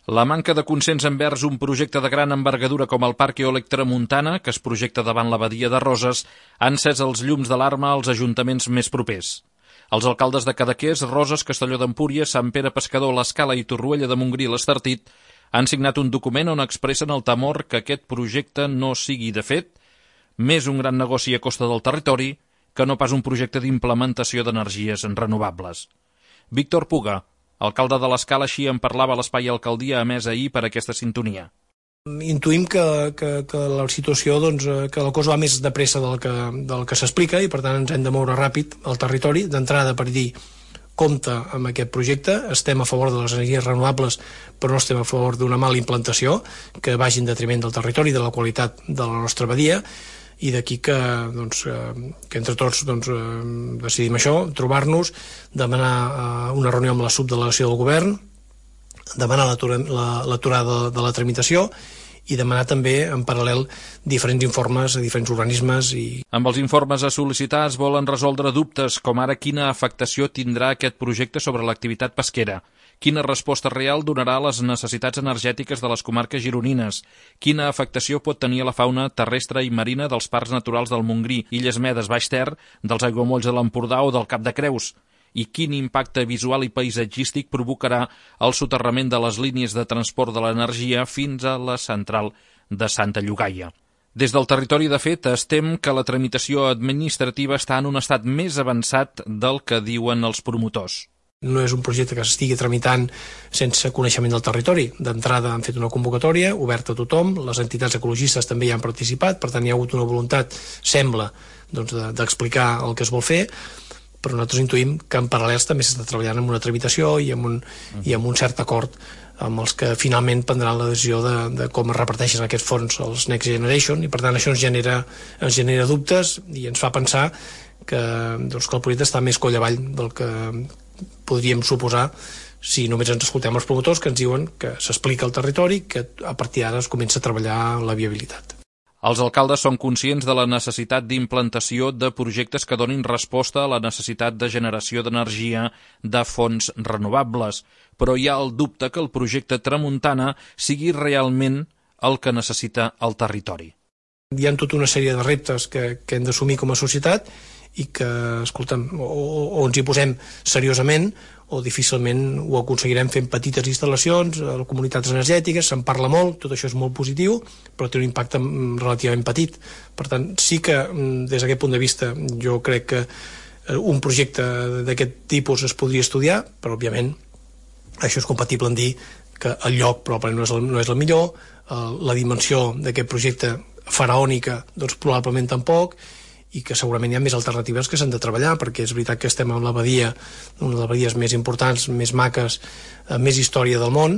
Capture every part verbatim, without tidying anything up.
La manca de consens envers un projecte de gran envergadura com el Parc Eòlic Tramuntana, que es projecta davant la badia de Roses, ha encès els llums d'alarma als ajuntaments més propers. Els alcaldes de Cadaqués, Roses, Castelló d'Empúries, Sant Pere Pescador, l'Escala i Torroella de Montgrí i l'Estartit han signat un document on expressen el temor que aquest projecte no sigui, de fet, més un gran negoci a costa del territori que no pas un projecte d'implementació d'energies renovables. Víctor Puga, alcalde de l'Escala, així en parlava a l'Espai Alcaldia emès ahir per aquesta sintonia. Intuïm que, que, que la situació, doncs, que la cosa va més de pressa del que, del que s'explica i per tant ens hem de moure ràpid al territori, d'entrada per dir compte amb aquest projecte, estem a favor de les energies renovables però no estem a favor d'una mala implantació que vagi en detriment del territori, de la qualitat de la nostra badia, i d'aquí que, doncs, que entre tots doncs, decidim això, trobar-nos, demanar una reunió amb la subdelegació del govern, demanar l'aturada de la tramitació i demanar també, en paral·lel, diferents informes a diferents organismes. I... Amb els informes a sol·licitar es volen resoldre dubtes, com ara quina afectació tindrà aquest projecte sobre l'activitat pesquera, quina resposta real donarà a les necessitats energètiques de les comarques gironines, quina afectació pot tenir a la fauna terrestre i marina dels parcs naturals del Montgrí, Illes Medes, Baix Ter, dels aiguamolls de l'Empordà o del Cap de Creus, i quin impacte visual i paisatgístic provocarà el soterrament de les línies de transport de l'energia fins a la central de Santa Llogaia. Des del territori, de fet, es tem que la tramitació administrativa està en un estat més avançat del que diuen els promotors. No és un projecte que s'estigui tramitant sense coneixement del territori. D'entrada han fet una convocatòria oberta a tothom, les entitats ecologistes també hi han participat, per tant hi ha hagut una voluntat, sembla, doncs, d'explicar el que es vol fer, però nosaltres intuïm que en paral·lels també s'està treballant en una tramitació i amb un, i amb un cert acord amb els que finalment prendran la decisió de, de com es reparteixen aquests fons als Next Generation, i per tant això ens genera, ens genera dubtes i ens fa pensar que, doncs, que el projecte està més coll avall del que podríem suposar si només ens escoltem els promotors que ens diuen que s'explica el territori, que a partir d'ara es comença a treballar la viabilitat. Els alcaldes són conscients de la necessitat d'implantació de projectes que donin resposta a la necessitat de generació d'energia de fonts renovables, però hi ha el dubte que el projecte Tramuntana sigui realment el que necessita el territori. Hi ha tota una sèrie de reptes que, que hem d'assumir com a societat i que, escolta'm, o, o ens hi posem seriosament o difícilment ho aconseguirem fent petites instal·lacions a les comunitats energètiques. Se'n parla molt, tot això és molt positiu, però té un impacte relativament petit. Per tant, sí que des d'aquest punt de vista jo crec que un projecte d'aquest tipus es podria estudiar, però òbviament això és compatible en dir que el lloc probablement no és el, no és el millor, la dimensió d'aquest projecte faraònica doncs probablement tampoc, i que segurament hi ha més alternatives que s'han de treballar, perquè és veritat que estem en la badia, una de les badies més importants, més maques, més història del món.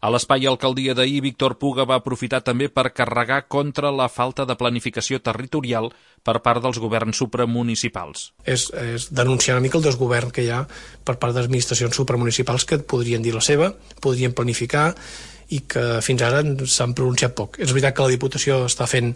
A l'Espai Alcaldia d'ahir, Víctor Puga va aprofitar també per carregar contra la falta de planificació territorial per part dels governs supramunicipals. És, és denunciar una mica el desgovern que hi ha per part de les administracions supramunicipals que podrien dir la seva, podrien planificar, i que fins ara s'han pronunciat poc. És veritat que la Diputació està fent,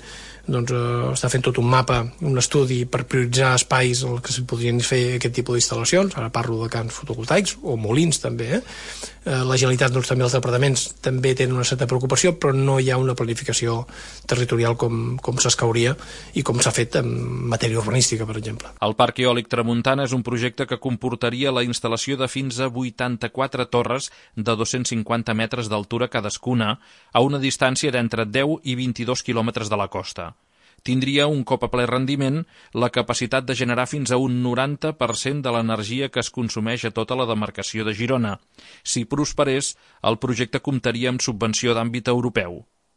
doncs, eh, està fent tot un mapa, un estudi per prioritzar espais en què s'hi podrien fer aquest tipus d'instal·lacions. Ara parlo de camps fotovoltaics o molins també. Eh? Eh, la Generalitat, doncs, també els departaments també tenen una certa preocupació, però no hi ha una planificació territorial com, com s'escauria i com s'ha fet en matèria urbanística, per exemple. El Parc Eòlic Tramuntana és un projecte que comportaria la instal·lació de fins a vuitanta-quatre torres de dos-cents cinquanta metres d'altura cadascuna a una distància d'entre deu i vint-i-dos quilòmetres de la costa. Tindria un cop a ple rendiment la capacitat de generar fins a un noranta per cent de l'energia que es consumeix a tota la demarcació de Girona. Si prosperés, el projecte comptaria amb subvenció d'àmbit europeu.